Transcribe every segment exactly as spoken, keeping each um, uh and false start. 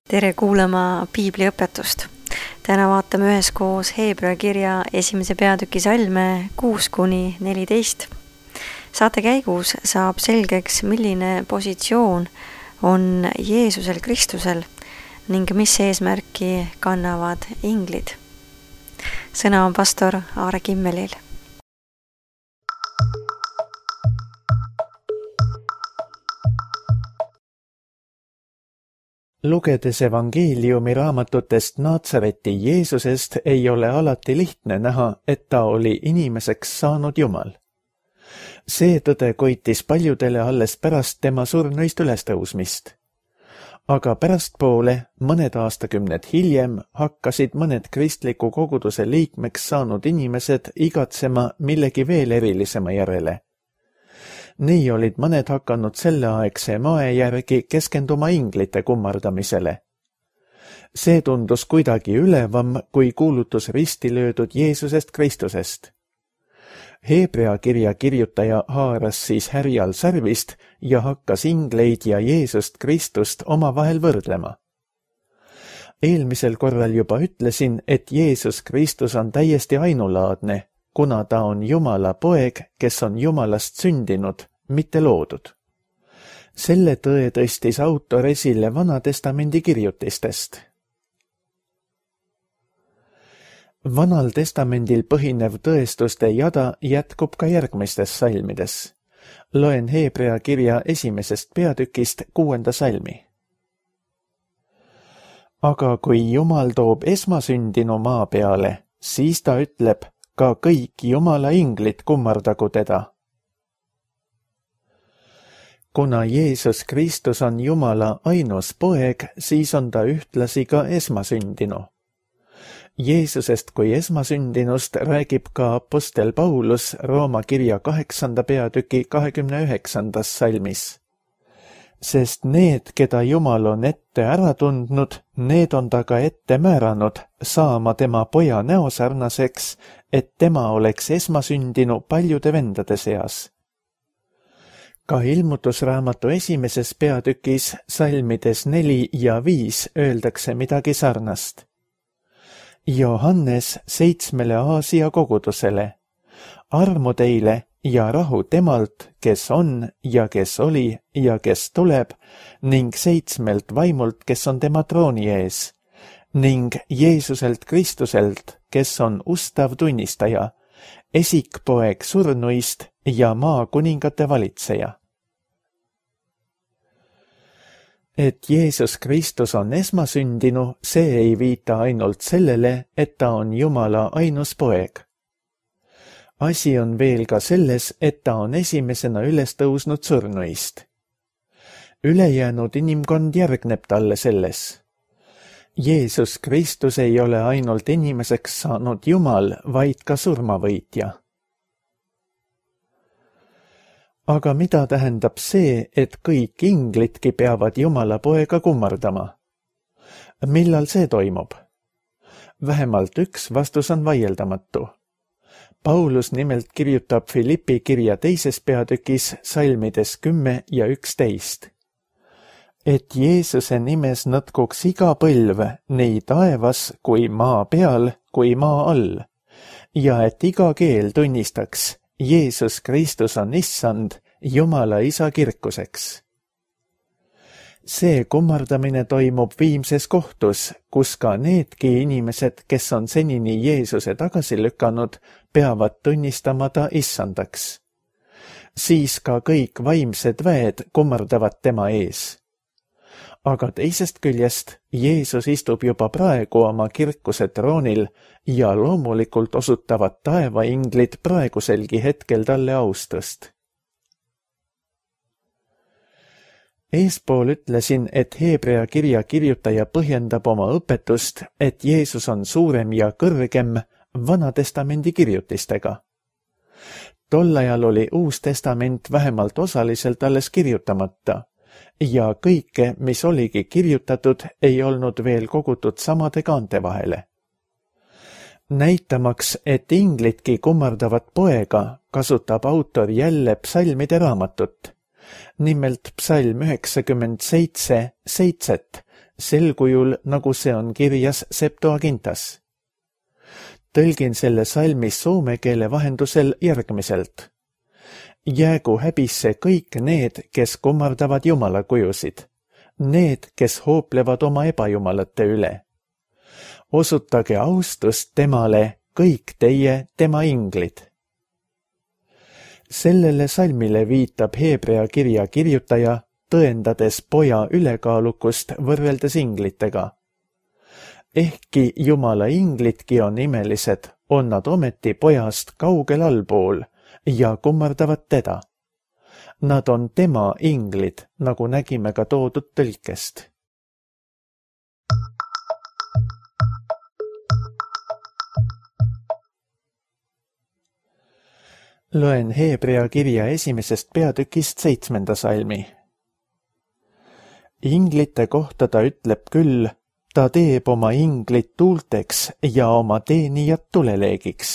Tere kuulama piibliõpetust. Täna vaatame üheskoos Heebrea kirja esimese peatüki salme kuus kuni neliteist. Saate käigus saab selgeks, milline positsioon on Jeesusel Kristusel ning mis eesmärki kannavad inglid. Sõna on pastor Aare Kimmelil. Lugedes evangeeliumi raamatutest Naatsareti Jeesusest ei ole alati lihtne näha, et ta oli inimeseks saanud Jumal. See tõde koitis paljudele alles pärast tema surnuist ülestõusmist. Aga pärastpoole, mõned aastakümned hiljem, hakkasid mõned kristliku koguduse liikmeks saanud inimesed igatsema millegi veel erilisema järele. Nii olid mõned hakanud selleaegse mae järgi keskenduma inglite kummardamisele. See tundus kuidagi ülevam, kui kuulutus risti löödud Jeesusest Kristusest. Heebrea kirja kirjutaja haaras siis härjal sarvist ja hakkas ingleid ja Jeesust Kristust omavahel võrdlema. Eelmisel korral juba ütlesin, et Jeesus Kristus on täiesti ainulaadne, kuna ta on Jumala poeg, kes on Jumalast sündinud, mitte loodud. Selle tõe tõstis autor esile Vana Testamendi kirjutistest. Vanal Testamendil põhinev tõestuste jada jätkub ka järgmistes salmides. Loen Heebrea kirja esimesest peatükist kuuenda salmi. Aga kui Jumal toob esmasündinu maa peale, siis ta ütleb, ka kõik Jumala inglid kummardagu teda. Kuna Jeesus Kristus on Jumala ainus poeg, siis on ta ühtlasi ka esmasündinu. Jeesusest kui esmasündinust räägib ka apostel Paulus Rooma kirja kaheksanda peatüki kahekümne üheksandas salmis. Sest need, keda Jumal on ette ära tundnud, need on ta ka ette määranud saama tema poja näosarnaseks, et tema oleks esmasündinu paljude vendade seas. Ka ilmutusraamatu esimeses peatükis salmides neli ja viis öeldakse midagi sarnast. Johannes seitsmele Aasia kogudusele. Armu teile ja rahu temalt, kes on ja kes oli ja kes tuleb, ning seitsmelt vaimult, kes on tema trooni ees, ning Jeesuselt Kristuselt, kes on ustav tunnistaja, esikpoeg surnuist ja maa kuningate valitseja. Et Jeesus Kristus on esmasündinu, see ei viita ainult sellele, et ta on Jumala ainus poeg. Asi on veel ka selles, et ta on esimesena üles tõusnud surnuist. Ülejäänud inimkond järgneb talle selles. Jeesus Kristus ei ole ainult inimeseks saanud Jumal, vaid ka surmavõitja. Aga mida tähendab see, et kõik inglidki peavad Jumala poega kummardama? Millal see toimub? Vähemalt üks vastus on vaieldamatu. Paulus nimelt kirjutab Filippi kirja teises peatükis salmides kümme ja üksteist. Et Jeesuse nimes nõtkuks iga põlv, nii taevas kui maa peal kui maa all, ja et iga keel tunnistaks, Jeesus Kristus on issand, Jumala isa kirkuseks. See kummardamine toimub viimses kohtus, kus ka needki inimesed, kes on senini Jeesuse tagasi lükanud, peavad tunnistama ta issandaks. Siis ka kõik vaimsed väed kummardavad tema ees. Aga teisest küljest Jeesus istub juba praegu oma kirkuse troonil ja loomulikult osutavad taevainglid praeguselgi hetkel talle austust. Eespool ütlesin, et Heebrea kirja kirjutaja põhjendab oma õpetust, et Jeesus on suurem ja kõrgem Vana Testamendi kirjutistega. Tol ajal oli Uus Testament vähemalt osaliselt alles kirjutamata ja kõike, mis oligi kirjutatud, ei olnud veel kogutud samade kaante vahele. Näitamaks, et inglidki kummardavad poega, kasutab autor jälle psalmide raamatut. Nimelt psalm üheksakümmend seitse, seitset, sel kujul, nagu see on kirjas Septuagintas. Tõlgin selle salmi soome keele vahendusel järgmiselt. Jäägu häbisse kõik need, kes kummardavad jumala kujusid, need, kes hooplevad oma ebajumalate üle. Osutage austust temale, kõik teie tema inglid. Sellele salmile viitab Heebrea kirja kirjutaja, tõendades poja ülekaalukust võrreldes inglitega. Ehkki jumala inglidki on imelised, on nad ometi pojast kaugel allpool ja kummardavad teda. Nad on tema inglid, nagu nägime ka toodud tõlkest. Loen Heebrea kirja esimesest peatükist seitsmenda salmi. Inglite kohta ta ütleb küll, ta teeb oma inglit tuulteks ja oma teenijad tuleleegiks.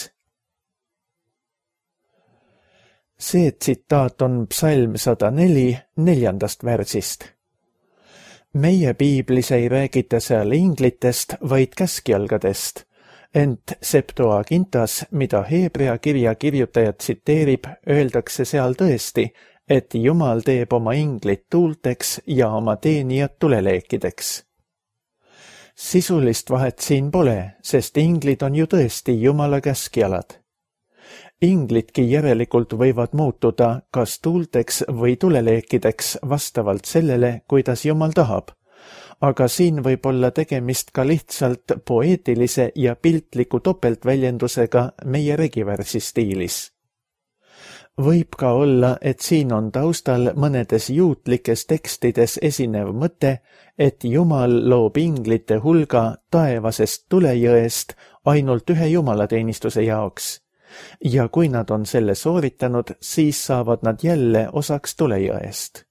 See tsitaat on psalm sada neli neljandast värsist. Meie piiblis ei räägita seal inglitest, vaid käskjalgadest, ent Septuagintas, mida Heebrea kirja kirjutaja tsiteerib, öeldakse seal tõesti, et Jumal teeb oma inglit tuulteks ja oma teenijad tuleleekideks. Sisulist vahet siin pole, sest inglid on ju tõesti Jumala käskjalad. Inglidki järelikult võivad muutuda kas tuulteks või tuleleekideks vastavalt sellele, kuidas Jumal tahab, aga siin võib olla tegemist ka lihtsalt poeetilise ja piltliku topeltväljendusega meie regivärsi stiilis. Võib ka olla, et siin on taustal mõnedes juutlikes tekstides esinev mõte, et Jumal loob inglite hulga taevasest tulejõest ainult ühe jumalateenistuse jaoks, ja kui nad on selle sooritanud, siis saavad nad jälle osaks tulejõest.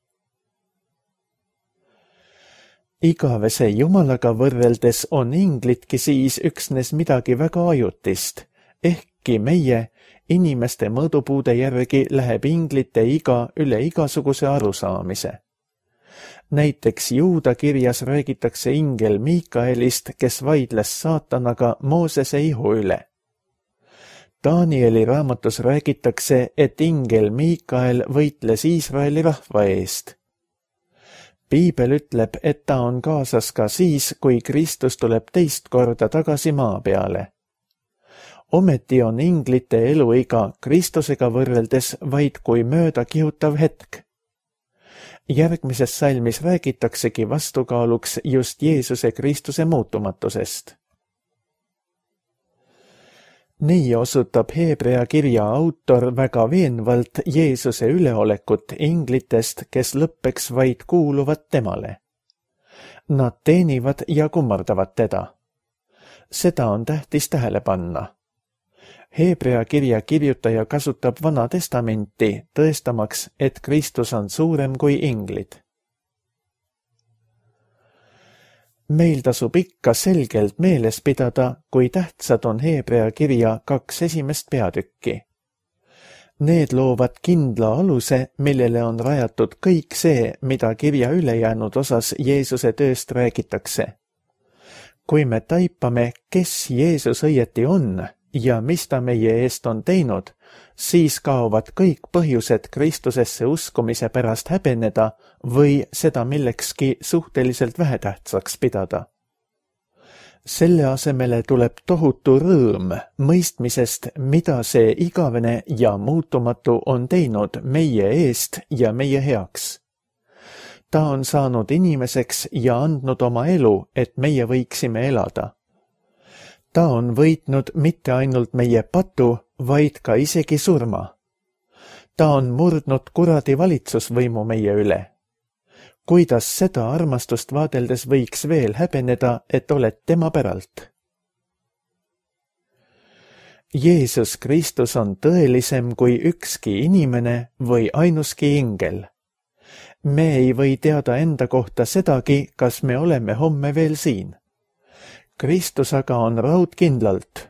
Igavese Jumalaga võrreldes on inglidki siis üksnes midagi väga ajutist, ehkki meie inimeste mõõdupuude järgi läheb inglite iga üle igasuguse arusaamise. Näiteks Juuda kirjas räägitakse ingel Miikaelist, kes vaidles saatanaga Moosese ihu üle. Danieli raamatus räägitakse, et ingel Miikael võitles Iisraeli rahva eest. Piibel ütleb, et ta on kaasas ka siis, kui Kristus tuleb teist korda tagasi maa peale. Ometi on inglite eluiga Kristusega võrreldes vaid kui mööda kihutav hetk. Järgmises salmis räägitaksegi vastukaaluks just Jeesuse Kristuse muutumatusest. Nii osutab Heebrea kirja autor väga veenvalt Jeesuse üleolekut inglitest, kes lõppeks vaid kuuluvad temale. Nad teenivad ja kummardavad teda. Seda on tähtis tähele panna. Heebrea kirja kirjutaja kasutab Vana Testamenti, tõestamaks, et Kristus on suurem kui inglid. Meil tasub ikka selgelt meeles pidada, kui tähtsad on Heebrea kirja kaks esimest peatükki. Need loovad kindla aluse, millele on rajatud kõik see, mida kirja ülejäänud osas Jeesuse tööst räägitakse. Kui me taipame, kes Jeesus õieti on ja mis ta meie eest on teinud, siis kaovad kõik põhjused Kristusesse uskumise pärast häbeneda või seda millekski suhteliselt vähetähtsaks pidada. Selle asemele tuleb tohutu rõõm mõistmisest, mida see igavene ja muutumatu on teinud meie eest ja meie heaks. Ta on saanud inimeseks ja andnud oma elu, et meie võiksime elada. Ta on võitnud mitte ainult meie patu, vaid ka isegi surma. Ta on murdnud kuradi valitsusvõimu meie üle. Kuidas seda armastust vaadeldes võiks veel häbeneda, et oled tema päralt? Jeesus Kristus on tõelisem kui ükski inimene või ainuski ingel. Me ei või teada enda kohta sedagi, kas me oleme homme veel siin. Kristus aga on raudkindlalt,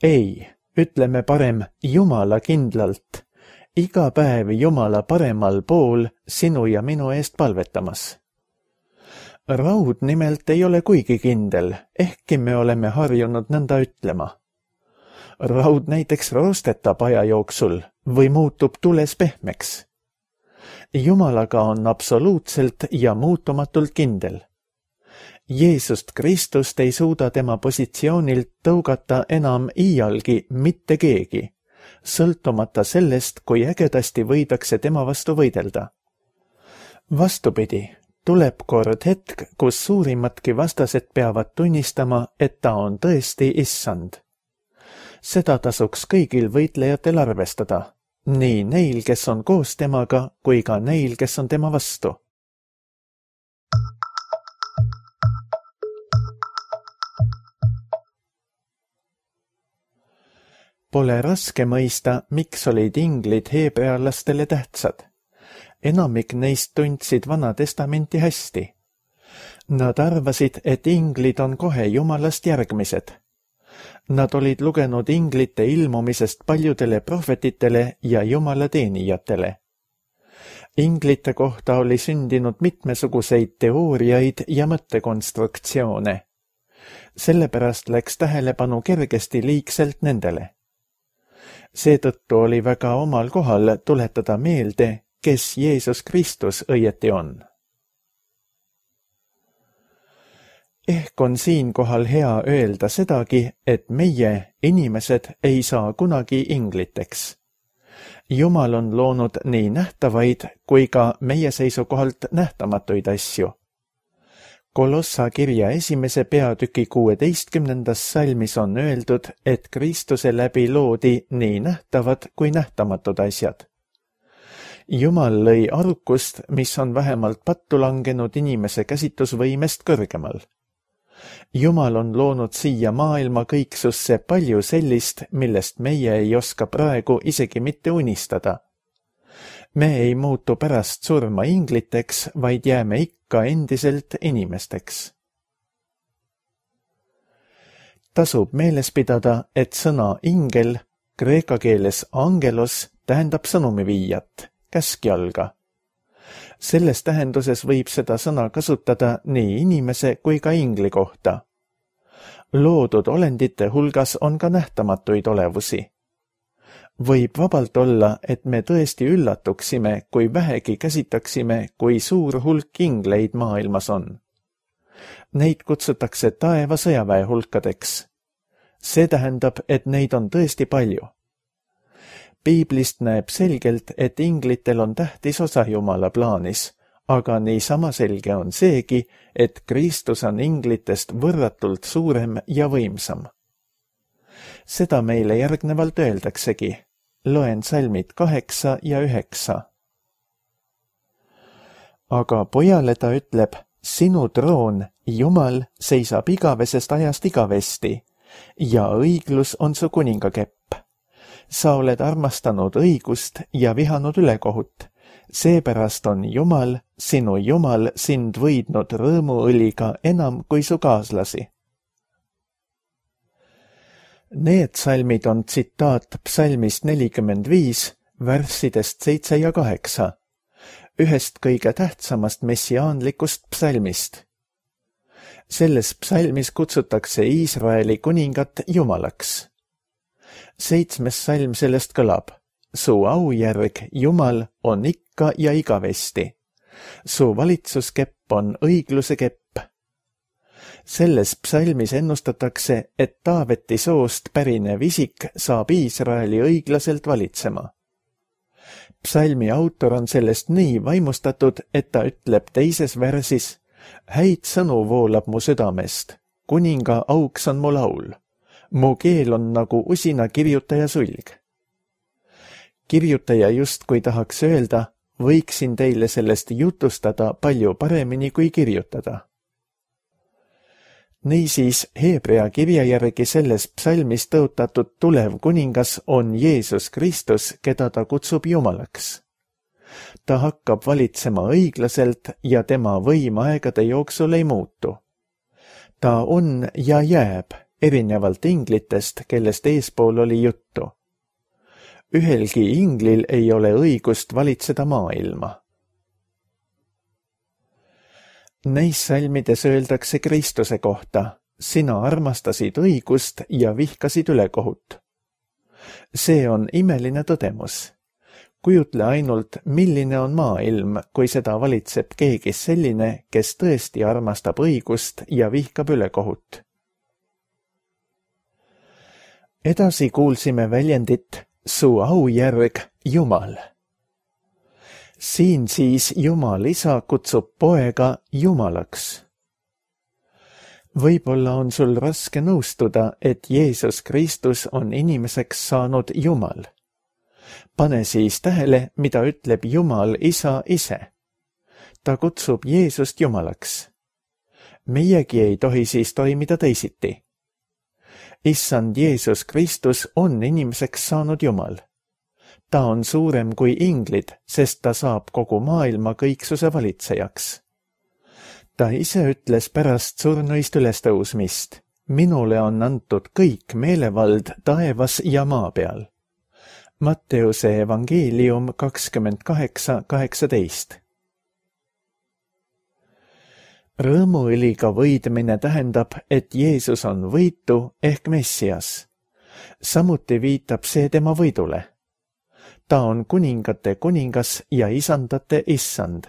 ei, ütleme parem Jumala kindlalt, iga päev Jumala paremal pool sinu ja minu eest palvetamas. Raud nimelt ei ole kuigi kindel, ehkki me oleme harjunud nõnda ütlema. Raud näiteks roostetab aja jooksul või muutub tules pehmeks. Jumalaga on absoluutselt ja muutumatult kindel. Jeesust Kristust ei suuda tema positsioonilt tõugata enam iialgi mitte keegi, sõltumata sellest, kui ägedasti võidakse tema vastu võidelda. Vastupidi, tuleb kord hetk, kus suurimatki vastased peavad tunnistama, et ta on tõesti issand. Seda tasuks kõigil võitlejatel arvestada, nii neil, kes on koos temaga, kui ka neil, kes on tema vastu. Pole raske mõista, miks olid inglid heebrealastele tähtsad. Enamik neist tundsid Vana Testamenti hästi. Nad arvasid, et inglid on kohe Jumalast järgmised. Nad olid lugenud inglite ilmumisest paljudele prohvetitele ja Jumala teenijatele. Inglite kohta oli sündinud mitmesuguseid teooriaid ja mõttekonstruktsioone. Sellepärast läks tähelepanu kergesti liigselt nendele. Seetõttu oli väga omal kohal tuletada meelde, kes Jeesus Kristus õieti on. Ehk on siinkohal hea öelda sedagi, et meie, inimesed, ei saa kunagi ingliteks. Jumal on loonud nii nähtavaid kui ka meie seisukohalt nähtamatuid asju. Kolossa kirja esimese peatüki kuueteistkümnendas salmis on öeldud, et Kristuse läbi loodi nii nähtavad kui nähtamatud asjad. Jumal lõi arukust, mis on vähemalt pattu langenud inimese käsitusvõimest kõrgemal. Jumal on loonud siia maailma kõiksusse palju sellist, millest meie ei oska praegu isegi mitte unistada. Me ei muutu pärast surma ingliteks, vaid jääme ikka endiselt inimesteks. Tasub meeles pidada, et sõna ingel, kreeka keeles angelos, tähendab sõnumiviijat, käskjalga. Selles tähenduses võib seda sõna kasutada nii inimese kui ka ingli kohta. Loodud olendite hulgas on ka nähtamatuid olevusi. Võib vabalt olla, et me tõesti üllatuksime, kui vähegi käsitaksime, kui suur hulk ingleid maailmas on. Neid kutsutakse taeva sõjaväe hulkadeks. See tähendab, et neid on tõesti palju. Piiblist näeb selgelt, et inglitel on tähtis osa Jumala plaanis, aga niisama selge on seegi, et Kristus on inglitest võrratult suurem ja võimsam. Seda meile järgnevalt öeldaksegi. Loen salmid kaheksa ja üheksa. Aga pojale ta ütleb, sinu troon, Jumal, seisab igavesest ajast igavesti ja õiglus on su kuningakepp. Sa oled armastanud õigust ja vihanud ülekohut. Seepärast on Jumal, sinu Jumal, sind võidnud rõõmuõliga enam kui su kaaslasi. Need salmid on tsitaat psalmist nelikümmend viis, värssidest seitse ja kaheksa, ühest kõige tähtsamast messiaanlikust psalmist. Selles psalmis kutsutakse Iisraeli kuningat Jumalaks. Seitsmes salm sellest kõlab, su aujärg, Jumal, on ikka ja igavesti. Su valitsuskepp on õigluse kepp. Selles psalmis ennustatakse, et Taaveti soost pärinev isik saab Iisraeli õiglaselt valitsema. Psalmi autor on sellest nii vaimustatud, et ta ütleb teises värsis, häid sõnu voolab mu südamest, kuninga auks on mu laul, mu keel on nagu usina kirjutaja sulg. Kirjutaja justkui tahaks öelda, võiksin teile sellest jutustada palju paremini kui kirjutada. Niisiis, Heebrea kirja järgi selles psalmis tõotatud tulev kuningas on Jeesus Kristus, keda ta kutsub Jumalaks. Ta hakkab valitsema õiglaselt ja tema võim aegade jooksul ei muutu. Ta on ja jääb, erinevalt inglitest, kellest eespool oli juttu. Ühelgi inglil ei ole õigust valitseda maailma. Neis salmides öeldakse Kristuse kohta: sina armastasid õigust ja vihkasid ülekohut. See on imeline tõdemus. Kujutle ainult, milline on maailm, kui seda valitseb keegi selline, kes tõesti armastab õigust ja vihkab ülekohut. Edasi kuulsime väljendit su aujärg Jumal. Siin siis Jumal Isa kutsub poega Jumalaks. Võib-olla on sul raske nõustuda, et Jeesus Kristus on inimeseks saanud Jumal. Pane siis tähele, mida ütleb Jumal Isa ise. Ta kutsub Jeesust Jumalaks. Meiegi ei tohi siis toimida teisiti. Issand Jeesus Kristus on inimeseks saanud Jumal. Ta on suurem kui inglid, sest ta saab kogu maailma kõiksuse valitsejaks. Ta ise ütles pärast surnuist ülestõusmist: minule on antud kõik meelevald taevas ja maa peal. Matteuse evangeelium kakskümmend kaheksa kaheksateist. Rõõmuõliga võidmine tähendab, et Jeesus on võitu ehk Messias. Samuti viitab see tema võidule. Ta on kuningate kuningas ja isandate issand.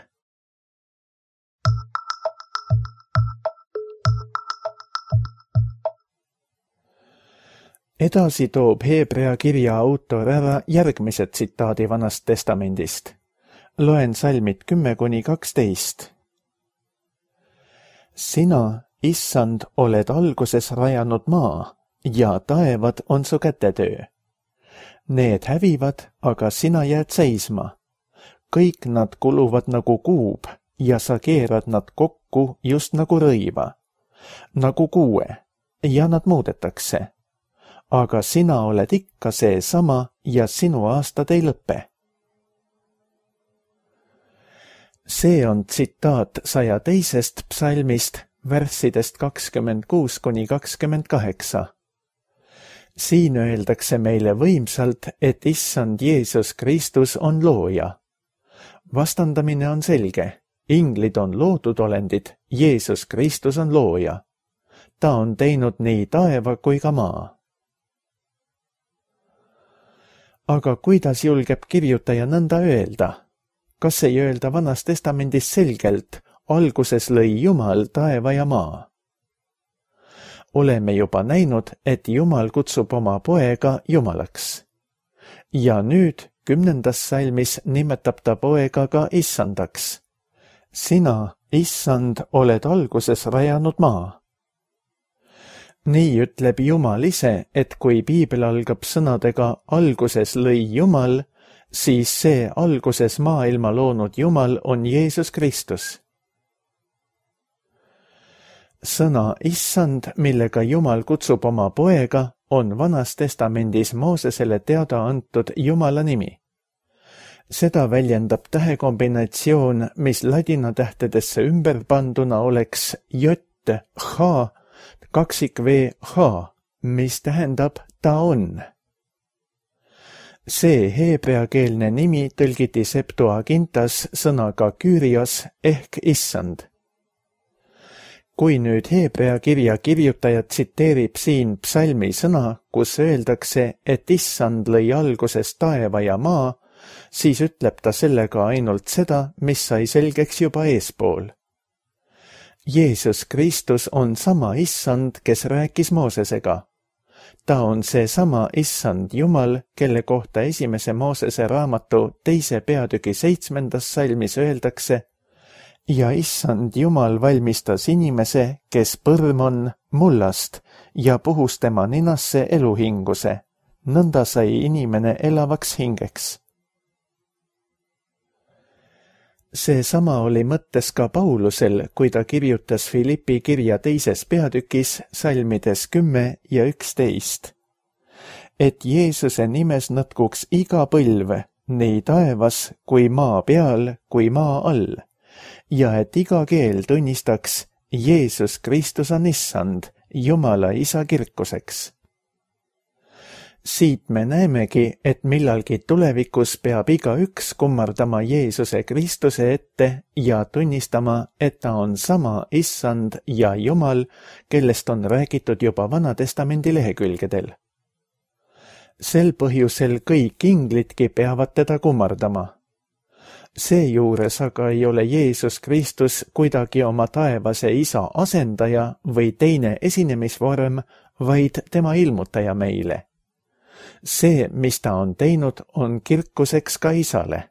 Edasi toob Hebrea kirja autor ära järgmise tsitaadi Vanast testamendist. Loen salmid kümme kuni kaksteist. Sina, issand, oled alguses rajanud maa ja taevad on su kätetöö. Need hävivad, aga sina jääd seisma. Kõik nad kuluvad nagu kuub ja sa keerad nad kokku just nagu rõiva, nagu kuue, ja nad muudetakse. Aga sina oled ikka seesama ja sinu aastad ei lõpe. See on tsitaat saja teisest psalmist, värssidest kakskümmend kuus kuni kakskümmend kaheksa. Siin öeldakse meile võimsalt, et issand Jeesus Kristus on looja. Vastandamine on selge. Inglid on loodud olendid, Jeesus Kristus on looja. Ta on teinud nii taeva kui ka maa. Aga kuidas julgeb kirjutaja nõnda öelda? Kas ei öelda Vanas testamendis selgelt: alguses lõi Jumal taeva ja maa? Oleme juba näinud, et Jumal kutsub oma poega Jumalaks. Ja nüüd kümnendas salmis nimetab ta poega ka issandaks. Sina, issand, oled alguses rajanud maa. Nii ütleb Jumal ise, et kui piibel algab sõnadega alguses lõi Jumal, siis see alguses maailma loonud Jumal on Jeesus Kristus. Sõna issand, millega Jumal kutsub oma poega, on Vanas testamendis Moosesele teada antud Jumala nimi. Seda väljendab tähekombinatsioon, mis ladina tähtedesse ümber panduna oleks jött, h, kaksik v, h, mis tähendab ta on. See heebreakeelne nimi tõlgiti Septuagintas sõnaga Kyrios ehk issand. Kui nüüd heebrea kirja kirjutaja tsiteerib siin psalmi sõna, kus öeldakse, et issand lõi alguses taeva ja maa, siis ütleb ta sellega ainult seda, mis sai selgeks juba eespool. Jeesus Kristus on sama issand, kes rääkis Moosesega. Ta on seesama issand Jumal, kelle kohta esimese Moosese raamatu teise peatüki seitsmendas salmis öeldakse: ja issand Jumal valmistas inimese, kes põrm on, mullast ja puhus tema ninasse eluhinguse. Nõnda sai inimene elavaks hingeks. Seesama oli mõttes ka Paulusel, kui ta kirjutas Filippi kirja teises peatükis salmides kümme ja üksteist. Et Jeesuse nimes nõtkuks iga põlv, nii taevas kui maa peal kui maa all, ja et iga keel tunnistaks, Jeesus Kristus on issand, Jumala isa kirkuseks. siit me näemegi, et millalgi tulevikus peab igaüks kummardama Jeesuse Kristuse ette ja tunnistama, et ta on sama Issand ja Jumal, kellest on räägitud juba Vanatestamendi lehekülgedel. Sel põhjusel kõik inglidki peavad teda kummardama. Seejuures aga ei ole Jeesus Kristus kuidagi oma taevase isa asendaja või teine esinemisvorm, vaid tema ilmutaja meile. See, mis ta on teinud, on kirkuseks ka isale.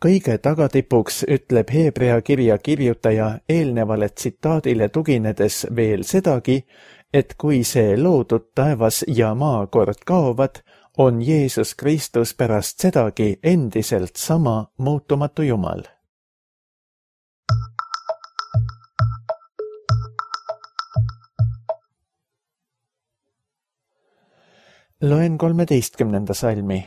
Kõige tagatipuks ütleb Hebrea kirja kirjutaja eelnevale tsitaadile tuginedes veel sedagi, et kui see loodud taevas ja maa kord kaovad, on Jeesus Kristus pärast sedagi endiselt sama muutumatu Jumal. Loen kolmeteistkümnenda salmi.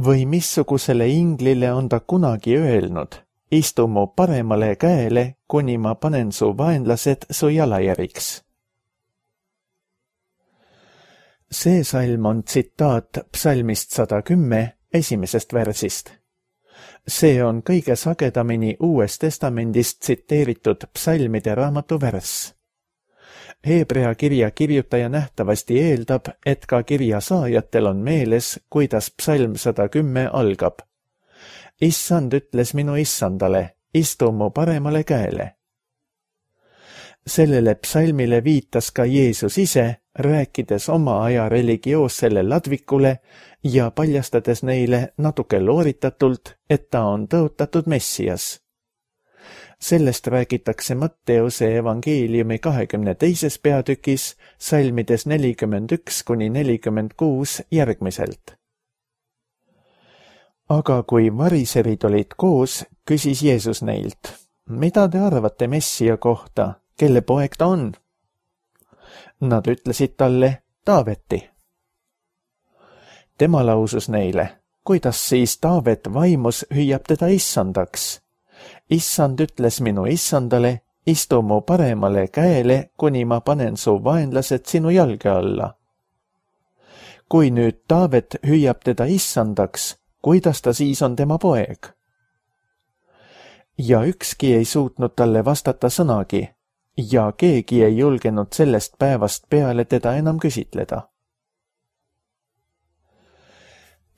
Või missugusele inglile on ta kunagi öelnud, istu mu paremale käele, kuni ma panen su vaenlased su jalajäriks. See salm on tsitaat psalmist sada kümme esimesest versist. See on kõige sagedamini Uues Testamendist tsiteeritud psalmide raamatu värss. Hebrea kirja kirjutaja nähtavasti eeldab, et ka kirja saajatel on meeles, kuidas psalm sada kümme algab. Issand ütles minu issandale, istu mu paremale käele. Sellele psalmile viitas ka Jeesus ise, rääkides oma aja religioossele ladvikule ja paljastades neile natuke looritatult, et ta on tõotatud Messias. Sellest räägitakse Matteuse evangeeliumi kahekümne teises peatükis, salmides nelikümmend üks kuni nelikümmend kuus järgmiselt. Aga kui variserid olid koos, küsis Jeesus neilt, mida te arvate Messia kohta, kelle poeg ta on? Nad ütlesid talle, Taaveti. Tema lausus neile, kuidas siis Taavet vaimus hüüab teda issandaks? Issand ütles minu issandale, istu mu paremale käele, kuni ma panen su vaenlased sinu jalge alla. Kui nüüd Taavet hüüab teda issandaks, kuidas ta siis on tema poeg? Ja ükski ei suutnud talle vastata sõnagi, ja keegi ei julgenud sellest päevast peale teda enam küsitleda.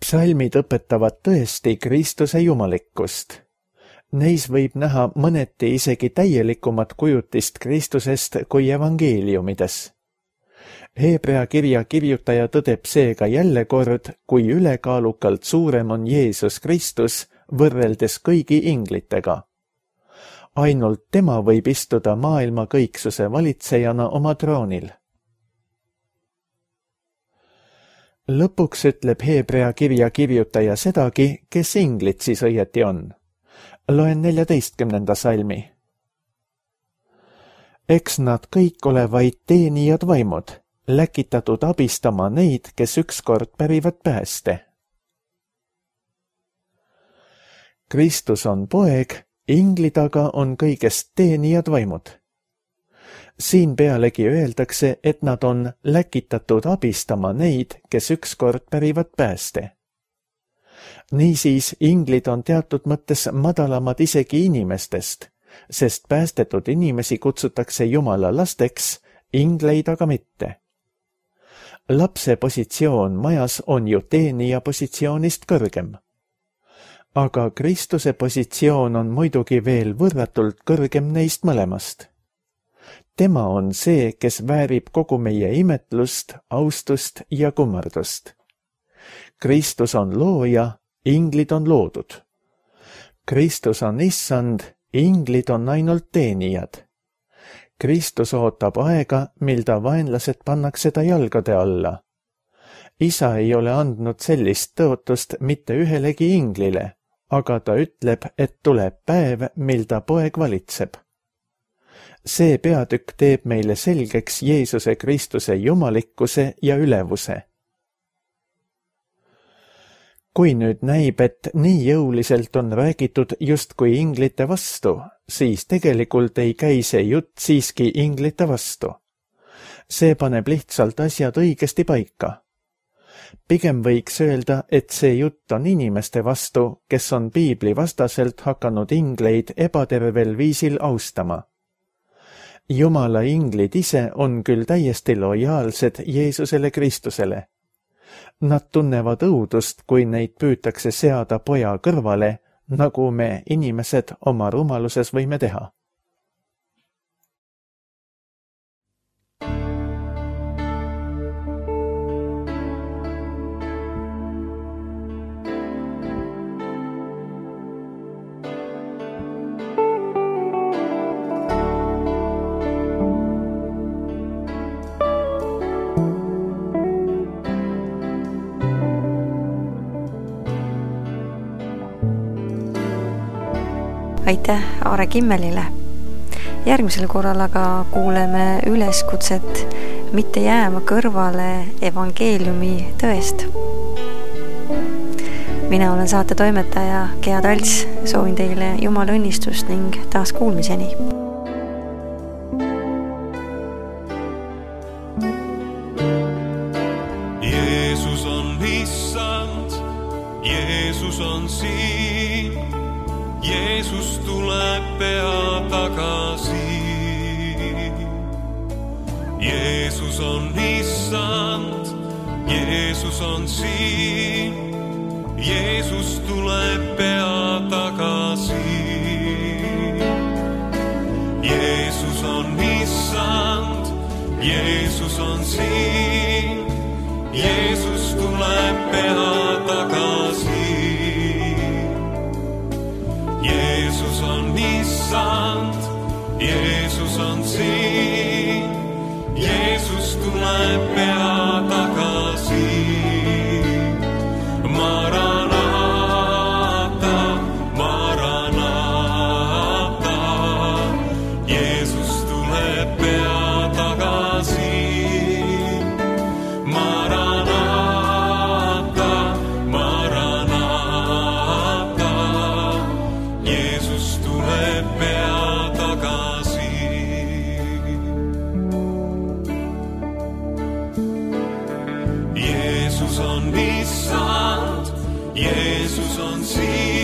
Psalmid õpetavad tõesti Kristuse jumalikkust. Neis võib näha mõneti isegi täielikumat kujutist Kristusest kui evangeeliumides. Hebrea kirja kirjutaja tõdeb seega jälle kord, kui ülekaalukalt suurem on Jeesus Kristus võrreldes kõigi inglitega. Ainult tema võib istuda maailma kõiksuse valitsejana oma troonil. Lõpuks ütleb Hebrea kirja kirjutaja sedagi, kes inglit siis õieti on. Loen neljateistkümnenda salmi. Eks nad kõik ole vaid teenijad vaimud, läkitatud abistama neid, kes ükskord pärivad pääste. Kristus on poeg, inglid aga on kõigest teenijad vaimud. Siin pealegi öeldakse, et nad on läkitatud abistama neid, kes ükskord pärivad pääste. Niisiis, inglid on teatud mõttes madalamad isegi inimestest, sest päästetud inimesi kutsutakse Jumala lasteks, ingleid aga mitte. Lapse positsioon majas on ju teenija positsioonist kõrgem. Aga Kristuse positsioon on muidugi veel võrratult kõrgem neist mõlemast. Tema on see, kes väärib kogu meie imetlust, austust ja kummardust. Kristus on looja, inglid on loodud. Kristus on issand, inglid on ainult teenijad. Kristus ootab aega, mil ta vaenlased pannakse ta jalgade alla. Isa ei ole andnud sellist tõotust mitte ühelegi inglile, aga ta ütleb, et tuleb päev, mil ta poeg valitseb. See peatükk teeb meile selgeks Jeesuse Kristuse jumalikkuse ja ülevuse. Kui nüüd näib, et nii jõuliselt on räägitud justkui inglite vastu, siis tegelikult ei käi see jutt siiski inglite vastu. see paneb lihtsalt asjad õigesti paika. Pigem võiks öelda, et see jutt on inimeste vastu, kes on piibli vastaselt hakanud ingleid ebatervel viisil austama. Jumala inglid ise on küll täiesti lojaalsed Jeesusele Kristusele. Nad tunnevad õudust, kui neid püütakse seada poja kõrvale, nagu me inimesed oma rumaluses võime teha. Aitäh Aare Kimmelile. Järgmisel korral aga kuuleme üleskutset mitte jääma kõrvale evangeeliumi tõest. Mina olen saate toimetaja Gea Talts, soovin teile Jumala õnnistust ning taas kuulmiseni. Jeesus on issand, Jeesus on siin. Jeesus tuleb pea tagasi. Jeesus on issand, Jeesus on siin. Jeesus tuleb pea tagasi. Jeesus on issand, Jeesus on siin. Jeesus tuleb pea tagasi. Jeesus on issand, Jeesus on siin. Jeesus tuleb pea tagasi. Maranata, Maranata. Jeesus tuleb pea tagasi. Maranata, Maranata. Jeesus tuleb pea tagasi. Jeesus on issand, Jeesus on siin.